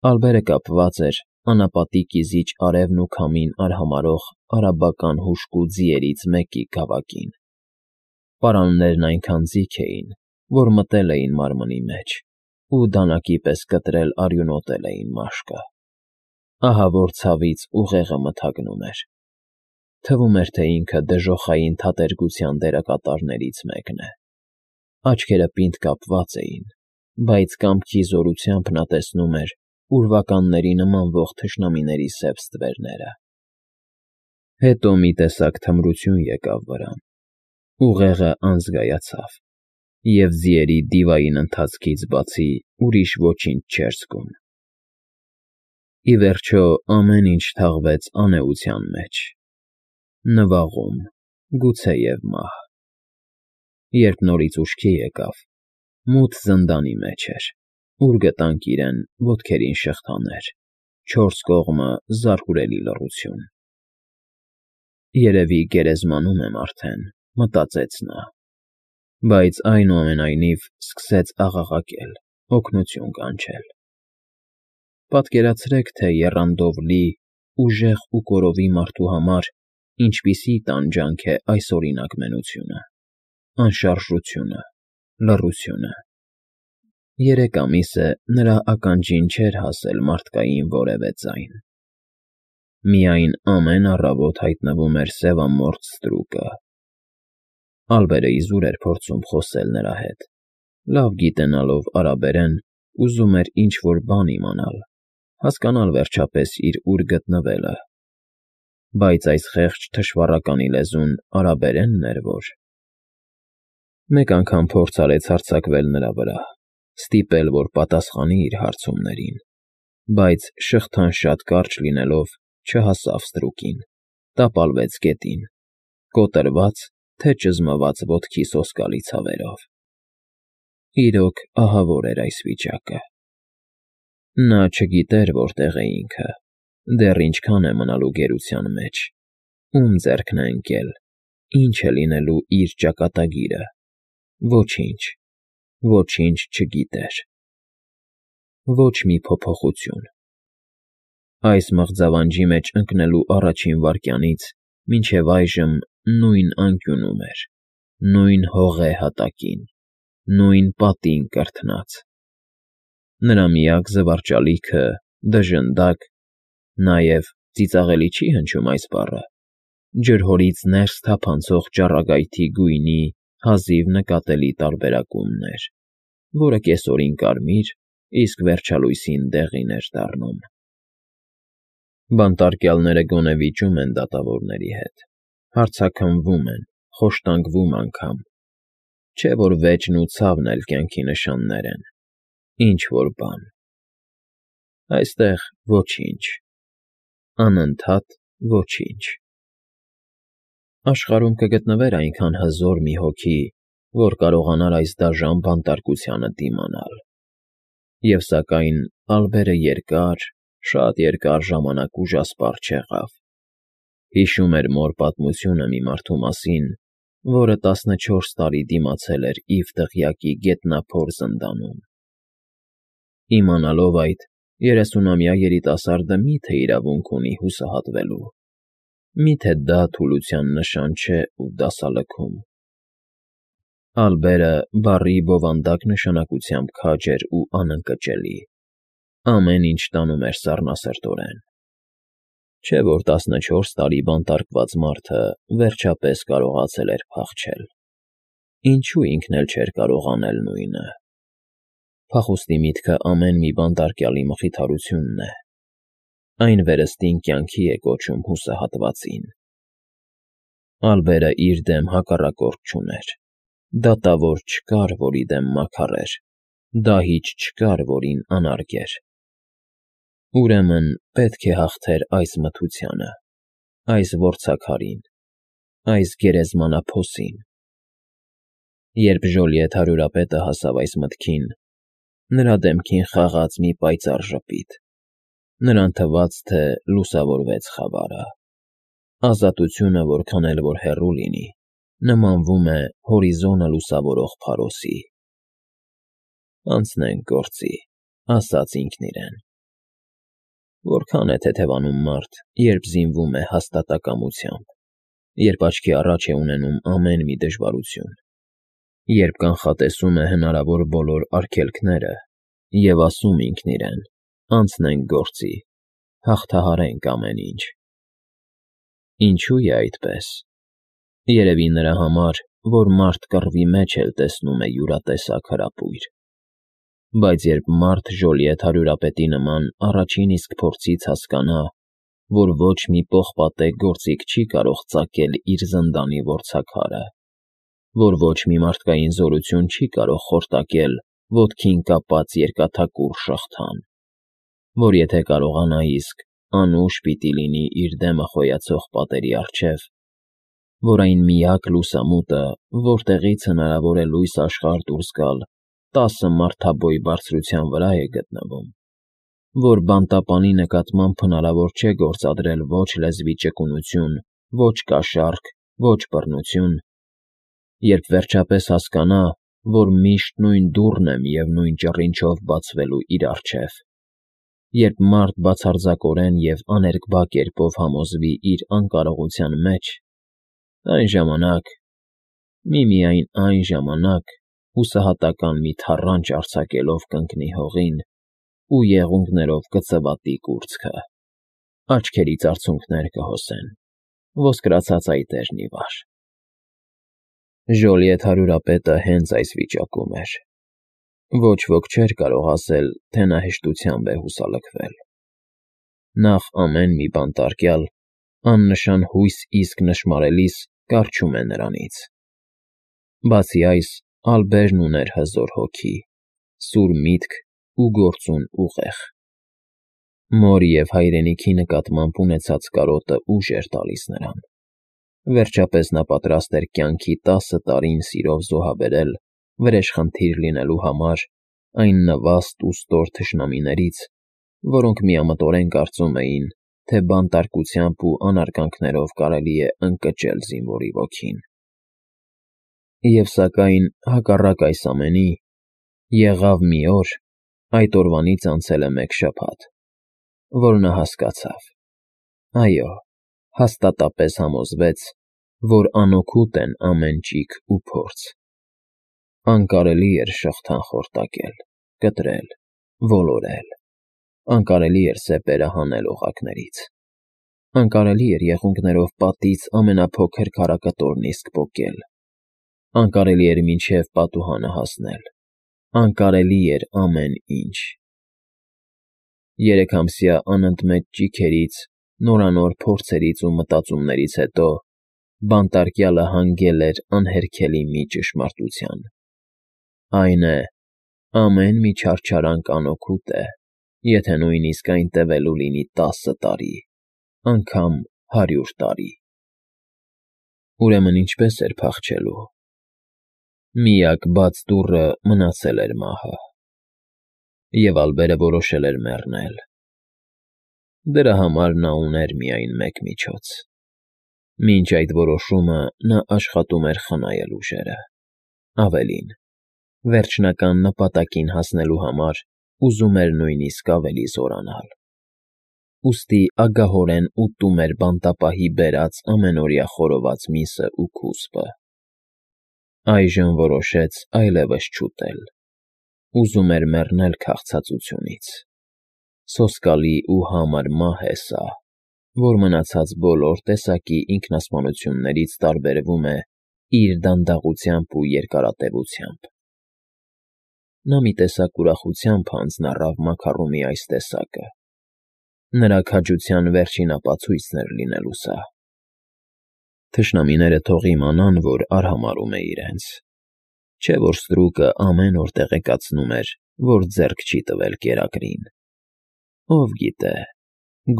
Ալբերը կապված էր անապատի կիզիչ արևն ու քամին արհամարհող արաբական հուժկու ձիերից մեկի գավակին. պարաններն այնքան ձիգ էին, որ մտել էին մարմնի մեջ ու դանակի պես կտրել արյունոտել էին մաշկը. ահավոր ցավից ուղեղը մթագնում էր, թվում էր, թե ինքը դժոխային թատերգության դերակատարներից մեկն է, աչքերը պինդ կապված էին, բայց կամքի զորությամբ նա տեսնում էր ուրվականների նմանվող թշնամիների սև ստվերները։ Հետո մի տեսակ թմրություն եկավ վրան, ուղեղը անզգայացավ, և ձիերի դիվային ընթացքից բացի ուրիշ ոչինչ չէր զգում։ Ի վերջո ամեն ինչ թաղվեց անէության մեջ, նվաղում, գուցեև մահ։ Երբ նորից ուշքի եկավ, մութ զնդանի մեջ էր, ուր գտանք իրեն ոտքերին շղթաներ, չորս կողմը զարհուրելի լռություն։ Երևի գերեզմանում եմ արդեն, մտածեց նա, բայց այնուամենայնիվ սկսեց աղաղակել, օգնություն կանչել։ Պատկերացրեք, թե եռանդով լի, ուժեղ ու կորովի մարդու համար ինչպիսի տանջանք է այսօրինակ մենությունը, անշարժությունը, լռությունը։ 3 ամիս է նրա ականջին չէր հասել մարդկային որևէ ձայն։ Միայն ամեն առավոտ հայտնվում էր սևամորթ ստրուկը։ Ալբերը իզուր էր փորձում խոսել նրա հետ, լավ գիտենալով արաբերեն, ուզում էր ինչ֊որ բան իմանալ, հասկանալ վերջապես իր ուր գտնվելը, բայց այս խեղճ թշվառականի լեզուն արաբերենն էր որ։ Մեկ անգամ փորձ արեց հարձակվել նրա վրա, ստիպել, որ պատասխանի իր հարցումներին, բայց շղթան շատ կարճ լինելով չհասավ ստրուկին, տապալվեց գետին, կոտրված, թե ճզմված ոտքի սոսկալի ցավերով։ Իրոք ահավոր էր այս վիճակը։ Նա չգիտեր որտեղ է ինքը, դեռ ինչքան է մնալու գերության մեջ, ում ձեռքն է ընկել, ինչ է լինելու իր ճակատագիրը։ Ոչինչ, ոչինչ չգիտեր։ Ոչ մի փոփոխություն։ Այս մղձավանջի մեջ ընկնելու առաջին վայրկյանից մինչև այժմ նույն անկյունում էր, նույն հողե հատակին, նույն պատին կրթնած։ Նրա միակ զվարճալիքը, դժնդակ, նաև ծիծաղելի չի հնչում այս բառը, ջրհորից ներս թափանցող ճառագայթի գույնի հազիվ նկատելի տարբերակումն էր, որը կեսօրին կարմիր, իսկ վերջալույսին դեղին էր դառնում։ Բանտարկյալները գոնե վիճում են դատավորների հետ, հարցաքննվում են, խոշտանգվում անգամ, չէ՞ որ վեճն ու ցավն էլ կյանքի նշաններ են, ինչ֊որ բան։ Այստեղ ոչինչ, անընդհատ ոչինչ։ Աշխարհում կգտնվեր այնքան հզոր մի հոգի, որ կարողանար այս դաժան բանտարկությանը դիմանալ։ Եվ սակայն Ալբերը երկար, շատ երկար ժամանակ ուժասպառ չեղավ։ Հիշում էր մոր պատմությունը մի մարդու մասին, որը 14 տարի դիմացել էր իր դղյակի գետնափոր զնդանում։ Իմանալով այդ, 30-ամյա երիտասարդը մի՞թե իրավունք ունի հուսահատվելու։ Մի՞թե դա թուլության նշան չէ ու դասալքում։ Ալբերը բառի բովանդակ նշանակությամբ քաջ էր ու անընկճելի։ Ամեն ինչ տանում էր սառնասրտորեն։ Չէ՞ որ 14 տարի բանտարկված մարդը վերջապես կարողացել էր փախչել։ Ինչո՞ւ ինքն էլ չէր կարող անել նույնը։ Փախուստի միտքը ամեն մի բանտարկյալի մխիթարությունն է։ Այն վերստին կյանքի է կոչում հուսահատվածին։ Ալբերը իր դեմ հակառակորդ չուներ։ Դատավոր չկար, որի դեմ մաքարեր, դահիճ չկար, որին անարգեր։ Ուրեմն պետք է հաղթեր այս մթությանը, այս որցաքարին, այս գերեզմանափոսին։ Երբ Ժոլիեթ հարյուրապետը հասավ այս մտքին, նրա դեմքին խաղաց մի պայծառ ժպիտ, նրան թվաց, թե լուսավորվեց խավարը։ Ազատությունը, որքան էլ որ հեռու լինի, նմանվում է հորիզոնը լուսավորող փարոսի։ Անցնենք գործի, ասաց ինքն իրեն։ Որքան է թեթևանում մարդ, երբ զինվում է հաստատակամությամբ, երբ աչքի առաջ է ունենում ամեն մի դժվարություն, երբ կանխատեսում է հնարավոր բոլոր արգելքները և ասում ինքն իրեն. անցնենք գործի, հաղթահարենք ամեն ինչ։ Ինչու է այդպես։ Երևի նրա համար, որ մարդ կռվի մեջ էլ տեսնում է յուրատեսակ հրապույր։ Բայց երբ մարդ Ժոլիեթ հարյուրապետի նման առաջին իսկ փորձից հասկանա, որ ոչ մի պողպատե գործիք չի կարող ծակել իր զնդանի որցաքարը, որ ոչ մի մարդկային զորություն չի կարող խորտակել ոտքին կապած երկաթակուռ շղթան, որ եթե կարողանա իսկ անուշ պիտի լինի իր դեմը խոյացող պատերի առջև, որ այն միակ լուսամուտը, որտեղից հնարավոր է լույս աշխարհ դուրս գալ, 10 մարդաբոյ բարձրության վրա է գտնվում, որ բանտապանի նկատմամբ հնարավոր չէ գործադրել ոչ լեզվի ճկունություն, ոչ կաշառք, ոչ բռնություն, երբ վերջապես հասկանա, որ միշտ նույն դուռն է միևնույն ճռինչով բացվելու իր առջև, երբ մարդ բացարձակորեն և աներկբա կերպով համոզվի իր անկարողության մեջ, այն ժամանակ, միմիայն այն ժամանակ, հուսահատական մի թառանչ արձակելով կընկնի հողին ու եղունգներով կծվատի կուրծքը, աչքերից արցունքներ կհոսեն, ոսկրացած այտերն ի վար։ Ժոլիեթ հարյուրապետը հենց այս վիճակում էր։ Ոչ ոք չէր կարող ասել, թե նա հեշտությամբ է հուսալքվել։ Նախ ամեն մի բանտարկյալ, աննշան հույս իսկ նշմարելիս կառչում է նրանից։ Բացի այս, Ալբերն ուներ հզոր հոգի, սուր միտք ու գործուն ուղեղ։ Մոր և հայրենիքի նկատմամբ ունեցած կարոտը ուժ էր տալիս նրան։ Վերջապես նա պատրաստ էր կյանքի 10 տարին սիրով զոհաբերել վրեժխնդիր լինելու համար այն նվաստ ու ստոր թշնամիներից, որոնք միամտորեն կարծում էին, թե բանտարկությամբ ու անարգանքներով կարելի է ընկճել զինվորի ոգին։ Եվ սակայն, հակառակ այս ամենի, եղավ մի օր, այդ օրվանից անցել է 1 շաբաթ, որ նա հասկացավ, այո, հաստատապես համոզվեց, որ անօգուտ են ամեն ճիգ ու փորձ։ Անկարելի էր շղթան խորտակել, կտրել, ոլորել, անկարելի էր սեպերը հանել օղակներից, անկարելի էր եղունգներով պատից ամենափոքր քարակտորն իսկ պոկել, անկարելի էր մինչև պատուհանը հասնել, անկարելի էր ամեն ինչ։ 3 ամսյա անընդմեջ ճիգերից, նորանոր փորձերից ու մտածումներից հետո բանտարկյալը հանգել էր անհերքելի մի ճշմարտության. այն է, ամեն մի չարչարանք անօգուտ է, եթե նույնիսկ այն տևելու լինի 10 տարի, անգամ 100 տարի։ Ուրեմն ինչպես էր փախչելու։ Միակ բաց դուռը մնացել էր մահը։ Եվ Ալբերը որոշել էր մեռնել։ Դրա համար նա ուներ միայն մեկ միջոց։ Մինչ այդ որոշումը նա աշխատում էր խնայել ուժերը։ Ավելին, վերջնական նպատակին հասնելու համար ուզում էր նույնիսկ ավելի զորանալ։ Ուստի ագահորեն ուտում էր բանտապահի բերած ամենօրյա խորոված միսն ու քուսպը։ Այժմ որոշեց այլևս չուտել։ Ուզում էր մեռնել քաղցածությունից։ Սոսկալի ու համար մահ է սա, որ մնացած բոլոր տեսակի ինքնասպանություններից տարբերվում է իր դանդաղությամբ ու երկարատևությամբ։ Նա մի տեսակ ուրախությամբ հանձնառավ մաքառումի այս տեսակը։ Նրա քաջության վերջին ապացույցն էր լինելու սա։ Թշնամիները թող իմանան, որ արհամարհում է իրենց, չէ՞ որ ստրուկը ամեն օր տեղեկացնում էր, որ ձեռք չի տվել կերակրին։ Ով գիտե,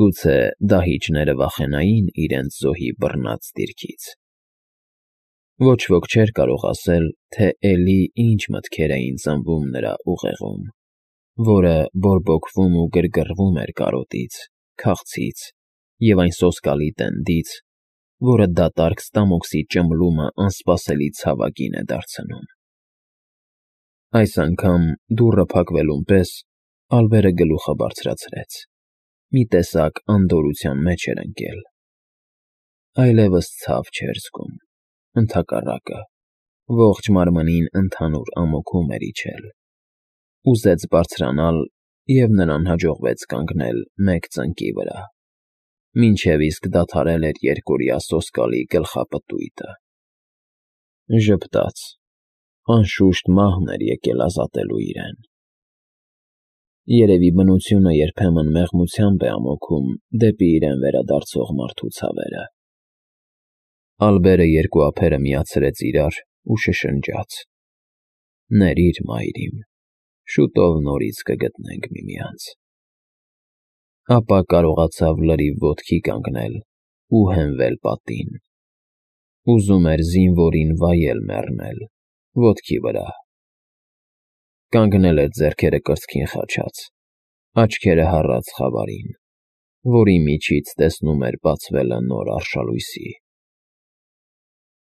գուցե դահիճները վախենային իրենց զոհի բռնած դիրքից։ Ոչ ոք չէր կարող ասել, թե էլի ինչ մտքեր էին ծնվում նրա ուղեղում, որը բորբոքվում ու գրգռվում էր կարոտից, քաղցից և այն սոսկալի տենդից, որը դատարկ ստամոքսի ճմլումը անսպասելի ցավագին է դարձնում։ Այս անգամ, դուռը փակվելուն պես, Ալբերը գլուխը բարձրացրեց մի տեսակ անդորրության մեջ էր ընկել։ Այլևս ցավ չէր զգում, ընդհակառակը, ողջ մարմնին ընդհանուր ամոթում էր իջել։ Ուզեց բարձրանալ, և նրան հաջողվեց կանգնել մեկ ծնկի վրա, մինչև իսկ դադարել էր երկօրյա սոսկալի գլխապտույտը։ Ժպտաց, անշուշտ մահն էր եկել ազատելու իրեն։ Երևի բնությունը երբեմն մեղմությամբ է ամոքում դեպի իրեն վերադարձող մարդու ցավերը։ Ալբերը երկու ափերը միացրեց իրար ու շշնջաց. «Ներիր, մայր իմ, շուտով նորից կգտնենք միմյանց»։ Ապա կարողացավ լրիվ ոտքի կանգնել ու հենվել պատին։ Ուզում էր զինվորին վայել մեռնել, ոտքի վրա։ Կանգնել էր ձեռքերը կրծքին խաչած, աչքերը հառած խավարին, որի միջից տեսնում էր բացվելը նոր արշալույսի։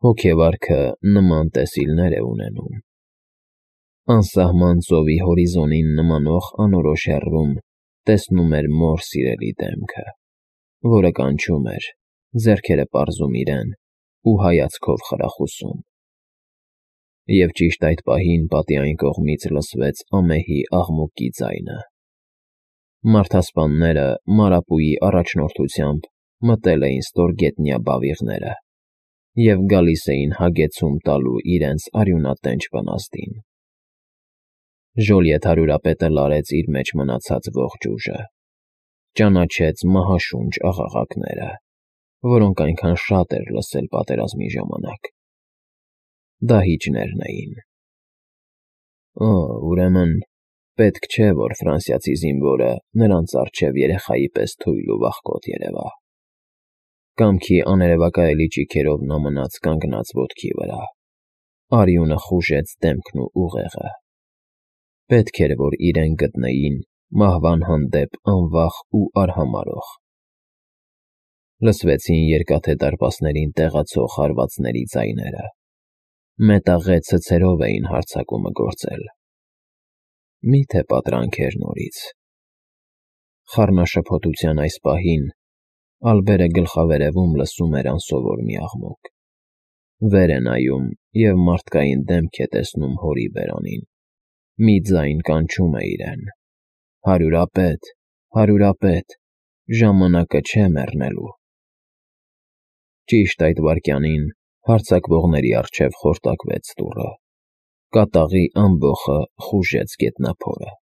Հոգեվարքը նման տեսիլներ է ունենում։ Անսահման ծովի հորիզոնին նմանող անորոշ հեռվում տեսնում էր մոր սիրելի դեմքը, որը կանչում էր, ձեռքերը պարզում իրեն ու հայացքով խրախուսում։ Եվ ճիշտ այդ պահին պատի այն կողմից լսվեց ամեհի աղմուկի ձայնը։ Մարդասպանները Մարապուի առաջնորդությամբ մտել էին ստորգետնյա բավիղները և գալիս էին հագեցում տալու իրենց արյունատենչ վնասդին։ Ժոլիեթ հարյուրապետը լարեց իր մեջ մնացած ողջ ուժը, ճանաչեց մահաշունչ աղաղակները, որոնք այնքան շատ էր լսել պատերազմի ժամանակ։ Դահիճներն էին։ Ուրեմն պետք չէ, որ ֆրանսիացի զինվորը նրանց առջև երեխայի պես թույլ ու վախկոտ երևա։ Կամքի աներևակայելի ճիգերով նա մնաց կանգնած ոտքի վրա, արյունը խուժեց դեմքն ու ուղեղը։ Պետք էր, որ իրեն գտնեին մահվան հանդեպ անվախ ու արհամարհող։ Լսվեցին երկաթե դարպասներին տեղացող հարվածների ձայները։ Մետաղե ցցերով էին հարձակումը գործել։ Մի՞թե պատրանք էր նորից։ Խառնաշփոթության այս պահին Ալբերը գլխավերևում լսում էր անսովոր մի աղմուկ։ Վեր է նայում և մարդկային դեմք է տեսնում հորի բերանին։ Մի ձայն կանչում է իրեն. «Հարյուրապետ, հարյուրապետ, ժամանակը չէ մեռնելու»։ Ճիշտ այդ վայրկյանին հարձակվողների առջև խորտակվեց դուռը։ Կատաղի ամբոխը խուժեց գետնափորը։